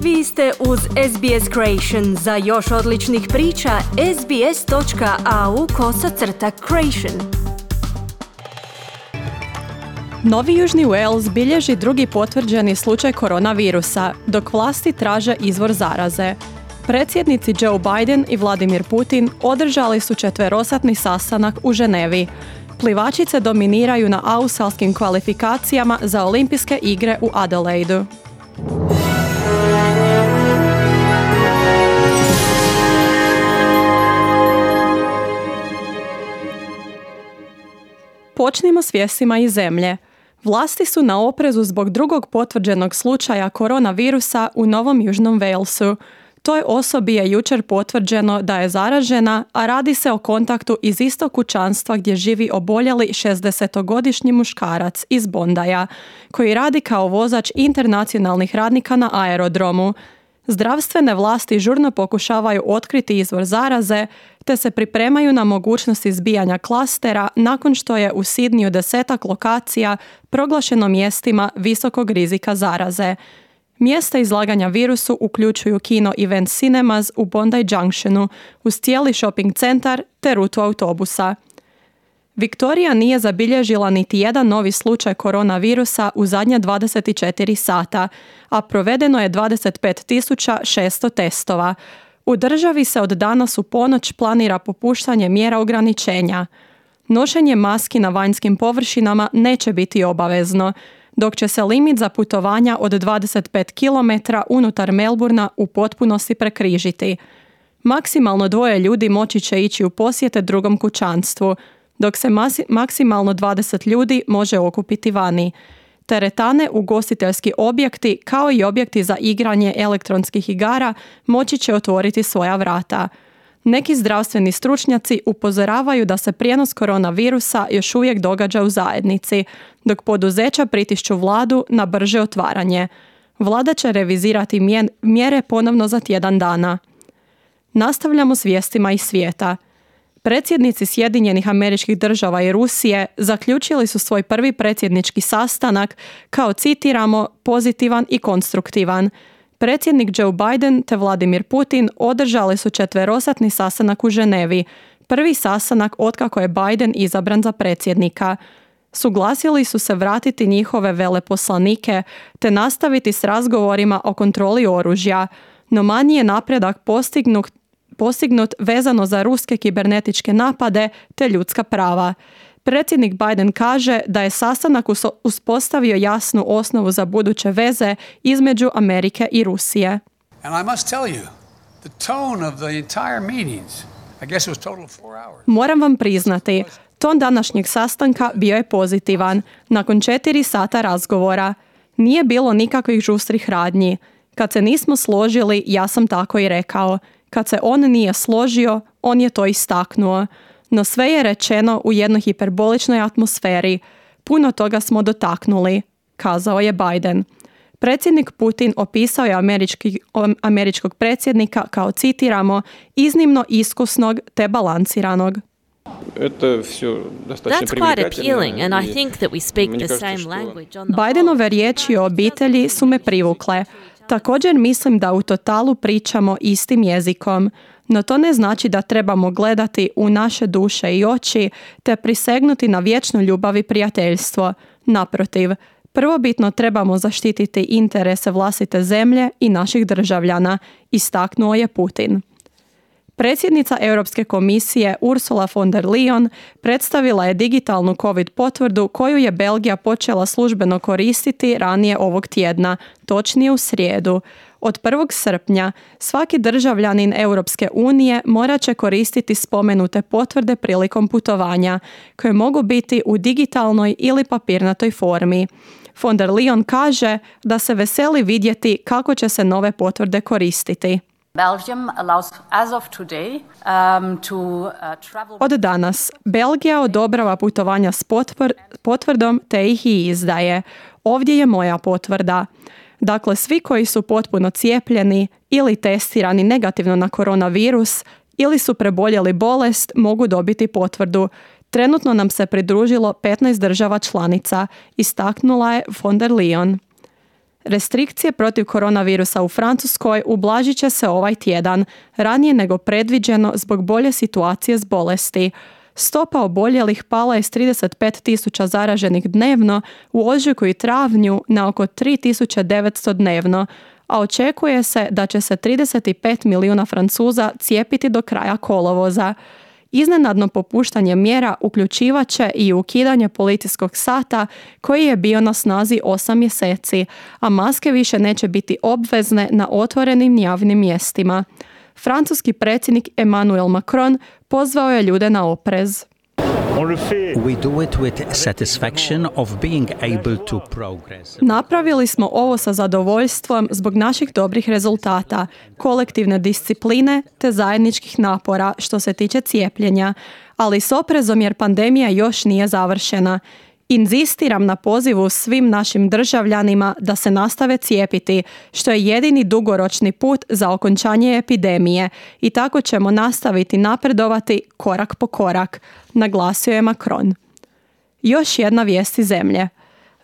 Vi ste uz SBS Creation. Za još odličnih priča, sbs.au/creation. Novi Južni Wales bilježi drugi potvrđeni slučaj koronavirusa, dok vlasti traže izvor zaraze. Predsjednici Joe Biden i Vladimir Putin održali su četverosatni sastanak u Ženevi. Plivačice dominiraju na australskim kvalifikacijama za olimpijske igre u Adelaidu. Počnimo s vijestima iz zemlje. Vlasti su na oprezu zbog drugog potvrđenog slučaja koronavirusa u Novom Južnom Walesu. Toj osobi je jučer potvrđeno da je zaražena, a radi se o kontaktu iz istog kućanstva gdje živi oboljeli 60-godišnji muškarac iz Bondaja, koji radi kao vozač internacionalnih radnika na aerodromu. Zdravstvene vlasti žurno pokušavaju otkriti izvor zaraze, te se pripremaju na mogućnost izbijanja klastera nakon što je u Sidneyu 10 lokacija proglašeno mjestima visokog rizika zaraze. Mjesta izlaganja virusu uključuju kino Event Cinemas u Bondi Junctionu, uz cijeli shopping centar te rutu autobusa. Viktorija nije zabilježila niti jedan novi slučaj koronavirusa u zadnja 24 sata, a provedeno je 25.600 testova. U državi se od danas u ponoć planira popuštanje mjera ograničenja. Nošenje maski na vanjskim površinama neće biti obavezno, dok će se limit za putovanja od 25 km unutar Melbourna u potpunosti prekrižiti. Maksimalno 2 ljudi moći će ići u posjete drugom kućanstvu, dok se maksimalno 20 ljudi može okupiti vani. Teretane, ugostiteljski objekti kao i objekti za igranje elektronskih igara moći će otvoriti svoja vrata. Neki zdravstveni stručnjaci upozoravaju da se prijenos koronavirusa još uvijek događa u zajednici, dok poduzeća pritišću vladu na brže otvaranje. Vlada će revizirati mjere ponovno za tjedan dana. Nastavljamo s vijestima iz svijeta. Predsjednici Sjedinjenih Američkih Država i Rusije zaključili su svoj prvi predsjednički sastanak kao, citiramo, pozitivan i konstruktivan. Predsjednik Joe Biden te Vladimir Putin održali su četverosatni sastanak u Ženevi, prvi sastanak otkako je Biden izabran za predsjednika. Suglasili su se vratiti njihove veleposlanike te nastaviti s razgovorima o kontroli oružja, no manji je napredak postignut vezano za ruske kibernetičke napade te ljudska prava. Predsjednik Biden kaže da je sastanak uspostavio jasnu osnovu za buduće veze između Amerike i Rusije. Moram vam priznati, ton današnjeg sastanka bio je pozitivan. Nakon 4 sata razgovora nije bilo nikakvih žustrih radnji. Kad se nismo složili, ja sam tako i rekao. Kad se on nije složio, on je to istaknuo. No sve je rečeno u jednoj hiperboličnoj atmosferi. Puno toga smo dotaknuli, kazao je Biden. Predsjednik Putin opisao je američkog predsjednika kao, citiramo, iznimno iskusnog te balansiranog. Bidenove riječi o obitelji su me privukle. Također mislim da u totalu pričamo istim jezikom, no to ne znači da trebamo gledati u naše duše i oči te prisegnuti na vječnu ljubav i prijateljstvo. Naprotiv, prvobitno trebamo zaštititi interese vlastite zemlje i naših državljana, istaknuo je Putin. Predsjednica Europske komisije Ursula von der Leyen predstavila je digitalnu COVID potvrdu koju je Belgija počela službeno koristiti ranije ovog tjedna, točnije u srijedu. Od 1. srpnja svaki državljanin Europske unije morat će koristiti spomenute potvrde prilikom putovanja, koje mogu biti u digitalnoj ili papirnatoj formi. Von der Leyen kaže da se veseli vidjeti kako će se nove potvrde koristiti. Od danas Belgija odobrava putovanja s potvrdom te ih i izdaje. Ovdje je moja potvrda. Dakle, svi koji su potpuno cijepljeni ili testirani negativno na koronavirus ili su preboljeli bolest mogu dobiti potvrdu. Trenutno nam se pridružilo 15 država članica, istaknula je von der Leyen. Restrikcije protiv koronavirusa u Francuskoj ublažit će se ovaj tjedan, ranije nego predviđeno zbog bolje situacije s bolesti. Stopa oboljelih pala je s 35.000 zaraženih dnevno u ožujku i travnju na oko 3.900 dnevno, a očekuje se da će se 35 milijuna Francuza cijepiti do kraja kolovoza. Iznenadno popuštanje mjera uključivat će i ukidanje policijskog sata koji je bio na snazi 8 mjeseci, a maske više neće biti obvezne na otvorenim javnim mjestima. Francuski predsjednik Emmanuel Macron pozvao je ljude na oprez. We do it with satisfaction of being able to progress. Napravili smo ovo sa zadovoljstvom zbog naših dobrih rezultata, kolektivne discipline te zajedničkih napora što se tiče cijepljenja, ali s oprezom jer pandemija još nije završena. Inzistiram na pozivu svim našim državljanima da se nastave cijepiti, što je jedini dugoročni put za okončanje epidemije i tako ćemo nastaviti napredovati korak po korak, naglasio je Macron. Još jedna vijest iz zemlje.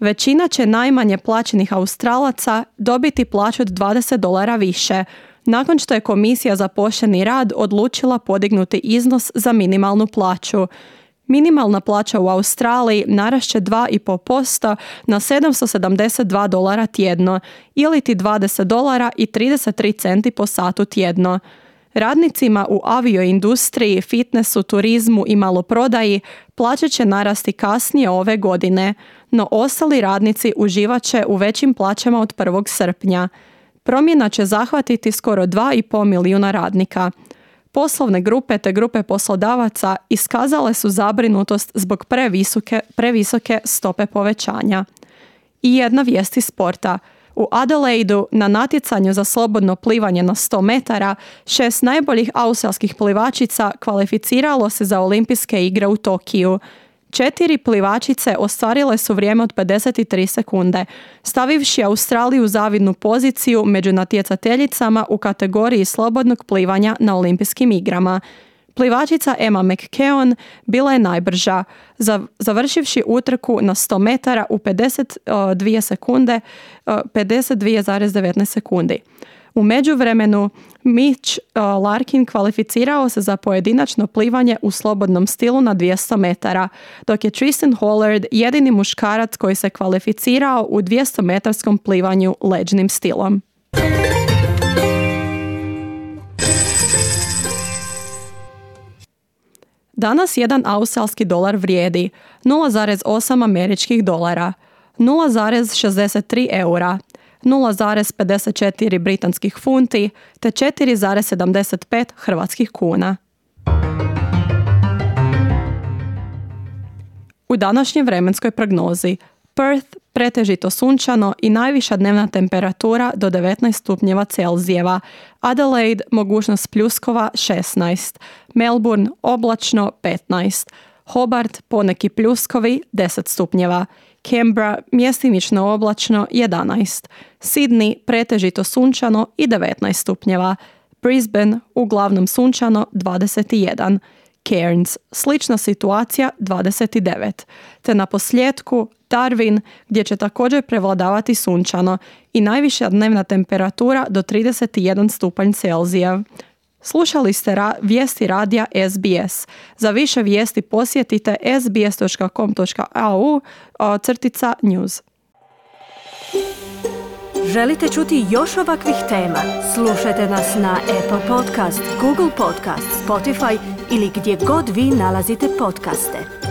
Većina će najmanje plaćenih Australaca dobiti plaću od $20 više, nakon što je Komisija za pošteni rad odlučila podignuti iznos za minimalnu plaću. Minimalna plaća u Australiji narašće 2,5% na $772 tjedno ili ti $20.33 po satu tjedno. Radnicima u avioindustriji, fitnessu, turizmu i maloprodaji plaće će narasti kasnije ove godine, no ostali radnici uživat će u većim plaćama od 1. srpnja. Promjena će zahvatiti skoro 2,5 milijuna radnika. Poslovne grupe te grupe poslodavaca iskazale su zabrinutost zbog previsoke stope povećanja. I jedna vijest iz sporta. U Adelaidu na natjecanju za slobodno plivanje na 100 metara 6 najboljih australskih plivačica kvalificiralo se za olimpijske igre u Tokiju. 4 plivačice ostvarile su vrijeme od 53 sekunde, stavivši Australiju u zavidnu poziciju među natjecateljicama u kategoriji slobodnog plivanja na olimpijskim igrama. Plivačica Emma McKeon bila je najbrža, završivši utrku na 100 metara u 52,19 sekundi. U međuvremenu Mitch Larkin kvalificirao se za pojedinačno plivanje u slobodnom stilu na 200 metara, dok je Tristan Hollard jedini muškarac koji se kvalificirao u 200-metarskom plivanju leđnim stilom. Danas jedan australski dolar vrijedi 0,8 američkih dolara, 0,63 eura, 0,54 britanskih funti te 4,75 hrvatskih kuna. U današnjoj vremenskoj prognozi Perth pretežito sunčano i najviša dnevna temperatura do 19 stupnjeva Celzijeva, Adelaide mogućnost pljuskova 16, Melbourne oblačno 15, Hobart poneki pljuskovi 10 stupnjeva, Canberra mjestimično oblačno 11, Sydney pretežito sunčano i 19 stupnjeva, Brisbane uglavnom sunčano 21, Cairns slična situacija 29, te na posljetku Darwin gdje će također prevladavati sunčano i najviša dnevna temperatura do 31 stupanj Celzija. Slušali ste vijesti radija SBS. Za više vijesti posjetite sbs.com.au/news. Želite čuti još ovakvih tema? Slušajte nas na Apple Podcast, Google Podcast, Spotify ili gdje god vi nalazite podcaste.